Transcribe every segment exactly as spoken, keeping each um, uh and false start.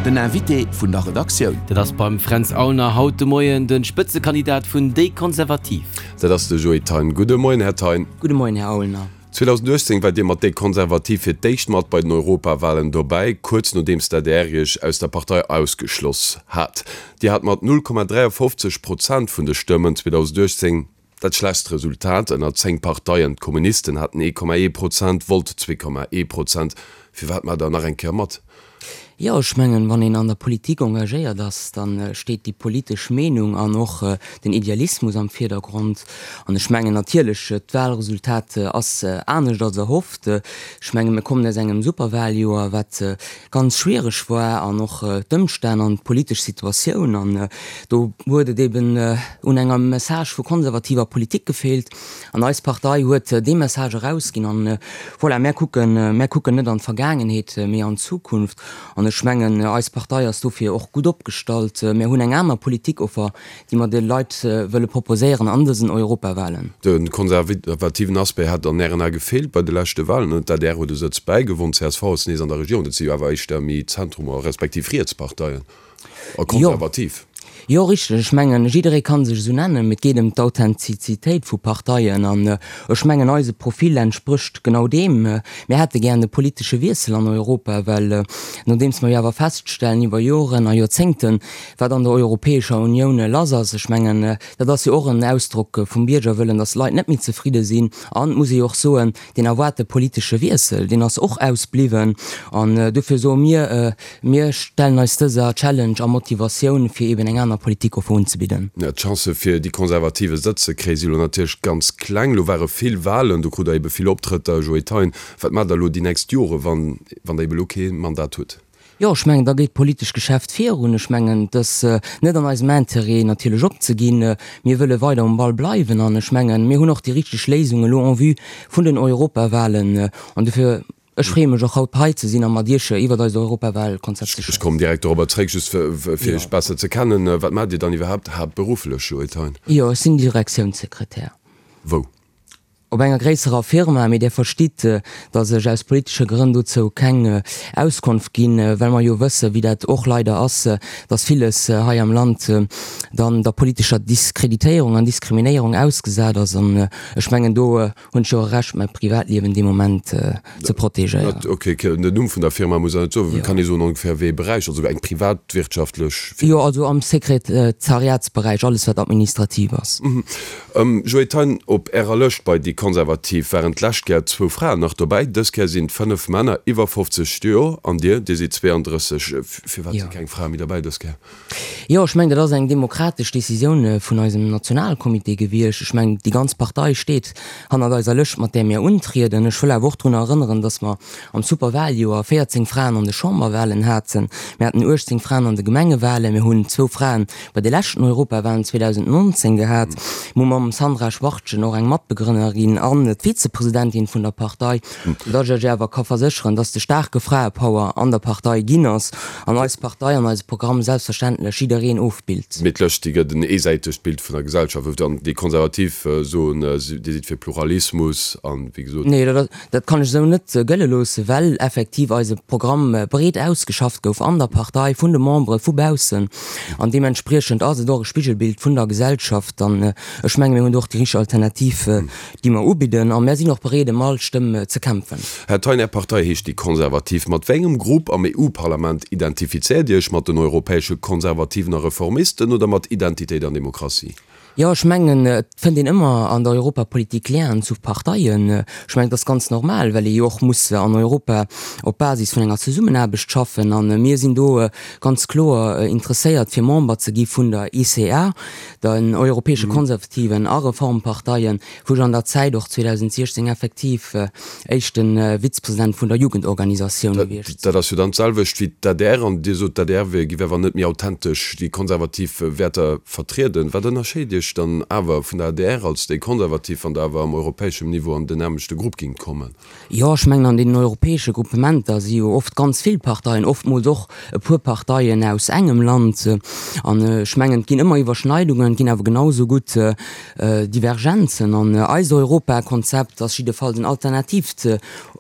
Den Invité vun der Redaktioun. Dat ass beim Fränz Aulner haut de Moien de Spëtzekandidat vun Déi Konservativ. Dat ass de Joe Thein. Gudde Moien, Här Thein. Gudde Moien, Här Aulner. zweedausenduechtzéng waart Dir mat Déi Konservativ fir d'éischt mat bei den Europawalen dobäi, kuerz nodeems d'ADR Iech aus der Partei ausgeschloss hat. Dir hat mat null Komma dräiafofzeg Prozent vun de Stëmmen zweedausenduechtzéng dat schlechtst Resultat ënner zéng Parteien. D'Kommunisten haten ee Komma ee Prozent, Volt zwee Komma ee Prozent. Firwat maacht Der nach eng Kéier mat? Jo, ech mengen, wann een an der Politik engagéiert ass, da steet déi politesch Meenung an och den Idealismus am Virdergrond. An ech mengen natierlech, d'Wahlresultat ass anescht als erhofft. Ech mengen, mir kommen aus engem Superwahljoer, wat ganz schwiereg war, an och d'Ëmstänn an d'politesch Situatioun. An do huet et eben un enger Message vu konservativer Politik gefeelt. An eis Partei huet dee Message erausginn. An voilà, mär kucken, mär kucken net an d'Vergaangenheet, mee an d'Zukunft. An ech mengen, eis Partei ass dofir och gutt opgestallt. Mir hunn eng aner Politikoffer, déi mer de Leit wëlle proposéieren an dësen Europawahlen. De konservativen Aspect hat an Ären Ae gefeelt bei de leschte Wahlen. D'adr huet e Sëtz bäigewonn, csv ass nees an der Regierung. Dat si jo awer éischter méi Zentrum respektiv Rietsparteien a konservativ. Jo, richteg. Ech mengen, jidderee ka sech esou nennen, mee et geet ëm d'Authentizitéit vu Parteien. An ech mengen, eise Profil entsprécht genau deem. Mir hätte gären e politesche Wiessel an Europa, well nodeems mer jo awer feststellen iwwer Joren a Joerzéngten, wat an der Europäescher Unioun lass ass, ech mengen, dat ass jo och en Ausdrock vum Biergerwëllen, datt d'Leit net méi zefridde sinn. An, et muss ee jo och soen, deen erwaarte politesche Wiessel, deen ass och ausbliwwen. An dofir soe mir, Mir stellen eis dëser Challenge a Motivatioun, fir eben eng aner Politikoffer unzebidden. D'Chancë fir déi Konservativ e Sëtz ze kréien, si elo natierlech ganz kleng. Elo ware vill Walen, do krut Der ebe vill Optrëtter, Joe Thein. Wat maacht Der elo déi nächst Jore, wann Der ebe elo kee Mandat hutt? Jo, ech mengen, da geet d'politescht Geschäft virun. Ech mengen, et ass net an eisem Intérêt natierlech opzeginn. Mir wëlle weider um Ball bleiwen an ech mengen, mir hunn och déi richteg Léisung elo en vue vun den Europawahlen. An dofir, ech freeë mech och haut hei ze sinn a mat Iech iwwert eist Europawalkonzept ze Ech schwätzen. kommen direkt dorobber zréck, just fir Iech besser ze kennen. Wat maacht Dir dann iwwerhaapt haaptberufflech, Joe Thein? Jo, ech sinn Direktiounssekretär. Wou? Op enger gréisserer Firma, mee Dir verstitt, datt ech aus politesche Grënn dozou keng Auskonft ginn, well mer jo wëssen, wéi dat och leider ass, datt villes hei am Land dann der politescher Diskreditéierung an Diskriminéierung ausgesat ass. An ech mengen, do hunn ech jo och e Recht, mäi Privatliewen dee Moment ze protegéieren. Ok, den Numm vun der Firma muss Der net soen. Kann ee soen ongeféier wéi ee Beräich, also eng privatwirtschaftlech Firma? Jo, also am Sekretariatsberäich, alles wat administrativ ass. Joé Thein, op Ärer Lëscht bei déi Konservativ waren d'lescht Kéier zwou Fraen nach dobäi, dës Kéier sinn et fënnef Männer iwwer fofzeg Joer an Dir, Dir sidd zweeandrësseg. Firwat si keng Frae méi derbäi dës Kéier? Jo, ech mengen, dat ass eng demokratesch Decisioun vun eisem Nationalcomité gewiescht. Ech mengen, déi ganz Partei steet hannert eiser Lëscht, mat där mir untrieden. Ech wëll awer och drun erënneren, datt mer am Superwaljoer véierzéng Fraen an de Chamberwalen haten, mir haten uechtzéng Fraen an de Gemengewalen, mir hunn zwou Fraen bei de leschten Europawalen zweedausendnonzéng gehat. Mir hu mam Sandra Schwartgen och eng Matbegrënnerin an d'Vizepresidentin vun der Partei, soudatt ech Iech awer ka versécheren, datt de staarke Fraepower an der Partei ginn ass an eis Partei an eise Programm selbstverständlech jiddereen ofbillt. Mee d'Lëscht, déi gëtt en eesäitegt Bild vun der Gesellschaft of. An déi Konservativ soen, Dir sidd fir Pluralismus an, wéi gesot. Nee, dat kann ech esou net gëlle loossen, well effektiv eise Programm breet ausgeschafft gouf an der Partei, vun de Membere vu baussen. An deementspriechend ass et och e Spigelbild vun der Gesellschaft. An ech menge mir hunn do och déi richteg Alternativ, déi mer ubidden. A mär sinn och bereet, ëm all Stëmm ze kämpfen. Här Thein, Är Partei heescht déi Konservativ. Mat wéi engem Grupp am E U-Parlament identifizéiert Dir Iech? Mat den europäesche Konservativen a Reformisten oder mat Identitéit an Demokratie? Jo, ech mengen, et fënnt een ëmmer an der Europapolitik Lienen zu Parteien. Ech mengen, dat ass ganz normal, well ee jo och muss an Europa op Basis vun enger Zesummenaarbecht schaffen. A mir sinn do ganz kloer interesséiert, fir Member ze gi vun der E C R, den europäesche Konservativen a Reformparteien, wou ech an der Zäit och zweedausendsechzéng effektiv éischte Vizepresident vun der Jugendorganisatioun gewiescht Dat ass jo dann d'selwecht wéi d'A D R. An Dir sot, d'A D R wier, giff awer net méi authentesch déi konservativ Wäerter vertrieden. Wat ënnerscheet Iech Iech dann awer vun der adr als déi Konservativ, wann Der awer am europäeschem Niveau an den nämmlechte Grupp gingt kommen? Jo, ech mengen, an deenen europäesche Gruppementer si jo oft ganz vill Parteien, oftmools och e puer Parteien aus engem Land. An ech mengen, et ginn ëmmer Iwwerschneidungen, et ginn awer genau esou gutt Divergenzen. An eist Europakonzept ass jiddefalls en alternatiivt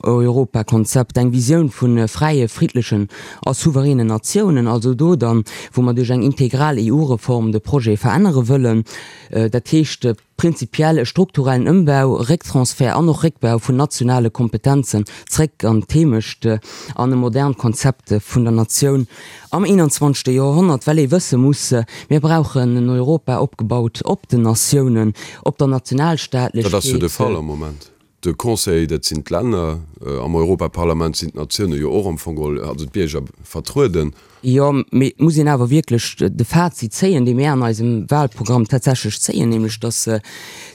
Europakonzept, eng Visioun vu fräie, friddlechen a souveränen Natiounen, also do dann, wou mer duerch eng integral EU-Reform de Projet verännere wëllen. Dat heescht prinzipiell e strukturellen Ëmbau, Récktransfert an och Réckbau vun nationale Kompetenzen zréck an d'Heemecht an e modernt Konzept vun der Natioun am eenanzwanzegste Joerhonnert, well ee wësse muss, Mir brauchen en Europa opgebaut op den Natiounen, op der Dat ass jo de Nationalstaatlechkeet. Fall am Moment. De Conseil, dat sinn d'Länner. Am Europaparlament sinn d'Natioune jo och am Fong geholl, also d'Bierger, vertrueden. Jo, mee et muss een awer wierklech de Fazit zéien, dee mir an eisem Wahlprogramm tatsächlech zéien, nämlech datt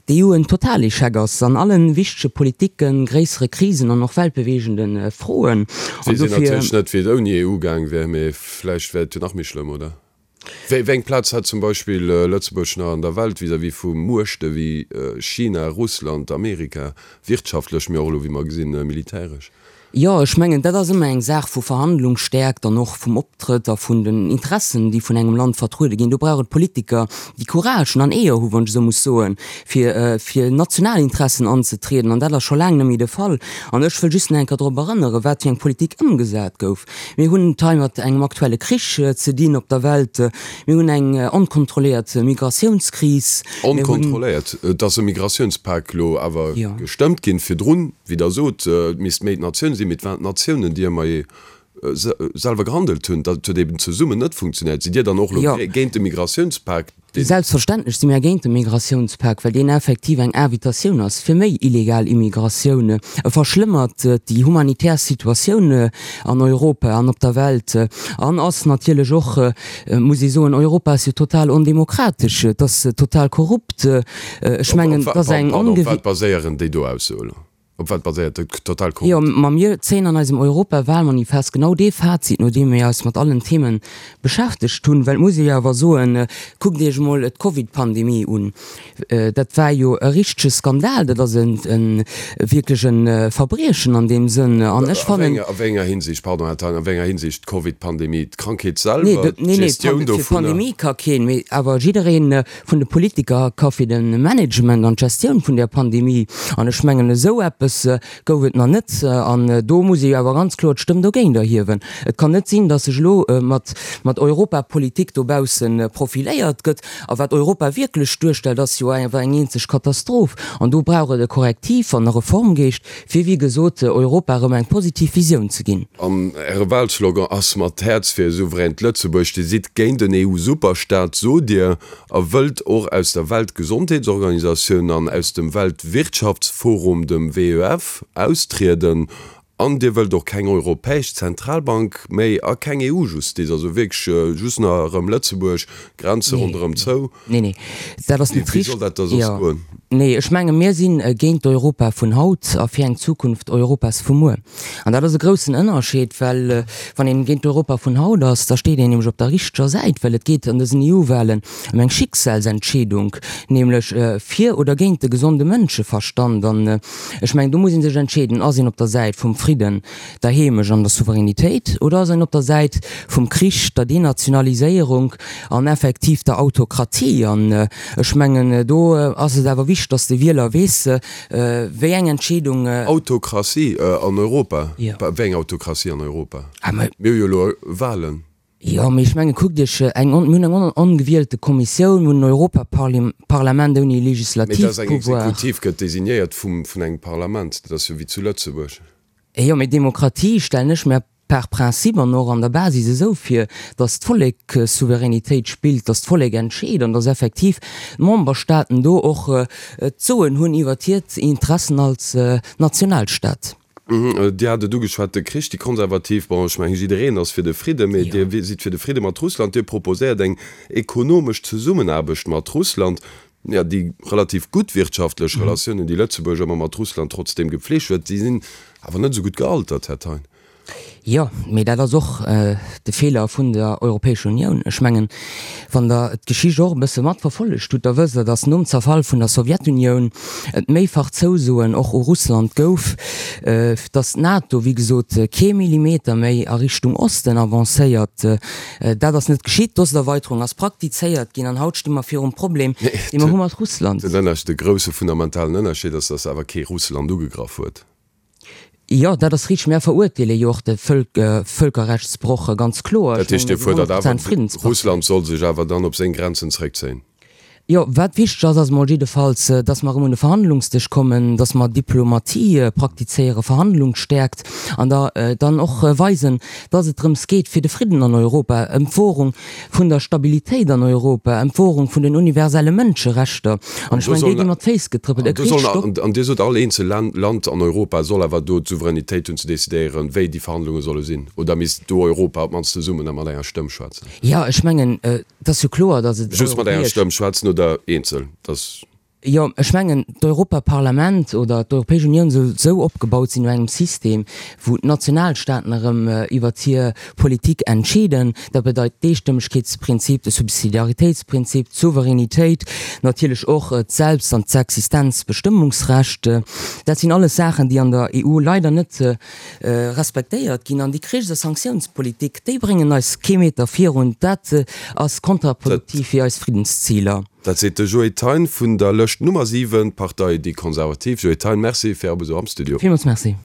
d'EU en Totalechec ass an alle wichtege Politiken, gréissere Krisen an och weltbeweegende Froen. Et An weess een dofir. natierlech net, wéi et ouni EU gaang wär, mee vläicht wär et jo nach méi schlëmm, oder? Wéi eng Plaz hätt zum Beispill Lëtzebuerg nach an der Welt vis-à-vis vu Muechte wéi China, Russland, Amerika, wirtschaftlech, mee och elo, wéi mer gesinn, militäresch? Jo, ech mengen, dat ass ëmmer eng Saach vu Verhandlungsstäerkt an och vum Optrëtt a vun den Interessen, déi vun engem Land vertruede ginn. Do brauch et Politiker, déi Courage an Eeër hu, wann ech esou muss soen, fir fir national Interessen anzetrieden. An dat ass scho laang net méi de Fall. An ech wëll just nach eng Kéier drop erënneren, wat fir eng Politik ëmgesat gouf. Mir hunn et hei mat engem aktuelle Krich ze dinn op der Welt. Mir hunn eng onkontrolléiert Migratiounskris. Mir hunn. Onkontrolléiert? Et ass e Migratiounspak elo awer Jo. gestëmmt ginn. Virdrun, wéi Der sot, et misst méi d'Natioun sinn, mee et waren d'Natiounen, déi ëmmer selwer gehandelt hunn. Dat huet eben zesummen net funktionéiert. Sidd Dir dann och elo Jo. géint de Migratiounspak, deen. Selbstverständlech si mir géint de Migratiounspak, well deen effektiv eng Invitatioun ass fir méi illegal Immigratioun. E verschlëmmert déi humanitär Situatioun an Europa an op der Welt an ass natierlech och, muss ee soen, Europa ass jo total ondemokratesch, et ass total korrupt. Ech Op, mengen, op, et ass eng pardon, op ongewi. wat baséieren déi do Aussoe elo? Op wat baséiert dat total Jo, korrupt? ma mir zéien an eisem Europawahlmanifest genau dee Fazit, nodeem mir eis mat allen Themen beschäftegt hunn. Well et muss ee jo awer soen, kuckt Iech emol d'Covid-Pandemie un, dat war jo e richtege Skandal, dat ass e wierklech e Verbriechen an deem Sënn. An ech A fannen. wéi enger Hinsicht, pardon, Här Thein, a wéi enger Hinsicht d'Covid-Pandemie, d'Krankheet Nee, selwer, nee, nee, d'Gestioun fir dovunner? d'Pandemie ka keen, mee awer jidderee vun de Politiker ka fir de Management an d'Gestioun vun där Pandemie. An ech mengen, esou eppes gouf et nach net. An do muss ee jo awer ganz kloer d'Stëmm dogéint erhiewen. Et kann net sinn, datt sech elo mat mat Europapolitik dobausse profiléiert gëtt. A wat Europa wierklech duerstellt, ass jo awer eng eenzeg Katastroph. An do brauch et e Korrektiv an e Reformgeescht, fir, wéi gesot, Europa erëm eng positiv Visioun ze ginn. An Äre Wahlslogan ass Mat Häerz fir e souveränt Lëtzebuerg. Dir sidd géint en EU-Superstaat, sot Dir, a wëllt och aus der Weltgesondheetsorganisatioun an aus dem Weltwirtschaftsforum, dem WEF, austrieden. An Dir wëllt och keng Europäesch Zentralbank méi a keng EU-Justiz, also wierklech just nach erëm Lëtzebuerg, Grenze Nee, ronderëm zou. nee, nee, dat ass Wéi net wéi soll richt. dat da soss Jo, goen? nee, ech menge mir sinn géint d'Europa vun haut a fir eng Zukunft Europas vu muer. An dat ass e groussen Ënnerscheed, well wann een géint d'Europa vun haut ass, da steet een nämlech op der richteger Säit, well et geet an dësen EU-Wahlen ëm eng Schicksalsentscheedung, nämlech fir oder géint de gesonde Mënscheverstand. An ech mengen, do muss ee sech entscheeden, Ass een op der Säit vum Fridden, der Heemecht an der Souveränitéit oder ass een op der Säit vum Krich, der Denationaliséierung an effektiv der Autokratie? An ech mengen, do ass et awer wichteg, dass de Wieler weess, wéi eng Entscheedung. Autokratie an Europa? Jo. Wéi eng Autokratie an Europa? Ah, mä. Mir hu jo elo Wahlen. Jo, mee ech mengen, kuckt Iech eng, mir hunn eng ongewielte Kommissioun, mir hunn en Europaparlament ouni Mee dass eng Legislativpouvoir. Exekutiv gëtt designéiert vum, vun engem Parlament, dat ass jo wéi zu Lëtzebuerg. Jo, mee Demokratie stellen ech mer par principe an och an der Basis esou vir, dass d'Vollek Souveränitéit spillt, dass d'Vollek entscheet an dass effektiv d'Memberstaaten do och d'Soen hunn iwwert hiert Interessen als Nationalstaat. Dir hat et ugeschwat, de Krich, déi Konservativ, bon, ech mengen, jiddereen ass fir de Fridde, mee Jo. Dir sidd fir de Fridde mat Russland. Dir proposéiert eng ekonomesch Zesummenaarbecht mat Russland. Jo, déi relativ gutt wirtschaftlech Relatiounen, déi Lëtzebuerg ëmmer mat Russland trotzdeem gepflegt huet, déi sinn awer net esou gutt gealtert, Här Thein. Jo, mee dat ass och de Feeler vun der Europäescher Unioun. Ech mengen, wann Der d'Geschicht och e bësse matverfollegt hutt, da wësst Der, datt nom Zerfall vun der Sowjetunioun et méifach Zousoen och u Russland gouf, datt d'NATO, wéi gesot, kee Millimeter méi a Richtung Osten avancéiert. Dat ass net geschitt. D'Osterweiterung ass praktizéiert ginn an haut sti mer virum Problem, dee mer hu mat Russland. Den Ënnerscheed, de grousse fundamentalen Ënnerscheed ass, datt awer kee Russland ugegraff huet. Jo, dat ass richteg. Mär verurteele jo och de Vëlkerrechtsbroch ganz kloer. Dat heescht, Dir fuerdert awer, Russland soll sech awer dann op seng Grenzen zréckzéien? Jo, wat wichteg ass, ass emol jiddefalls, datt mer erëm un de Verhandlungsdësch kommen, datt mer Diplomatie praktizéieren, Verhandlungsstäerkt, an da dann och weisen, datt et drëms geet fir de Fridden an Europa, ëm d'Wohrung vun der Stabilitéit an Europa, ëm d'Wohrung vun den universelle Mënscherechter. An ech mengen, déi gi mat Féiss getrëppelt. E Krich stoppt. An Dir sot, all eenzel Land an Europa soll awer do d'Souveränitéit hunn ze decidéieren, wéi déi Verhandlunge solle sinn. Oder misst do Europa op d'mannst zesummen a mat enger Stëmm schwätzen? Jo, ech mengen, et ass jo kloer, datt et europäesch. Just mat enger Stëmm schwätzen oder eenzel, dass. Jo, ech mengen, d'Europaparlament oder d'Europäesch Unioun soll esou opgebaut sinn no engem System, wou d'Nationalstaaten erëm iwwert hir Politik entscheeden. Dat bedeit d'Eestëmmegkeetsprinzip, de Subsidiaritéitsprinzip, d'Souveränitéit, natierlech och d'Selbst an d'Existenzbestëmmungsrecht. Dat sinn alles Saachen, déi an der E U leider net respektéiert ginn. An déi Krichs a Sanktiounspolitik, déi bréngen eis kee Meter virun. Dat ass kontraproduktiv fir eis Friddensziler. Dat seet de Joe Thein vun der Lëscht Nummer siwen, d'Partei Déi Konservativ. Joe Thein, Merci fir Är Besuch am Studio. Villmools Merci.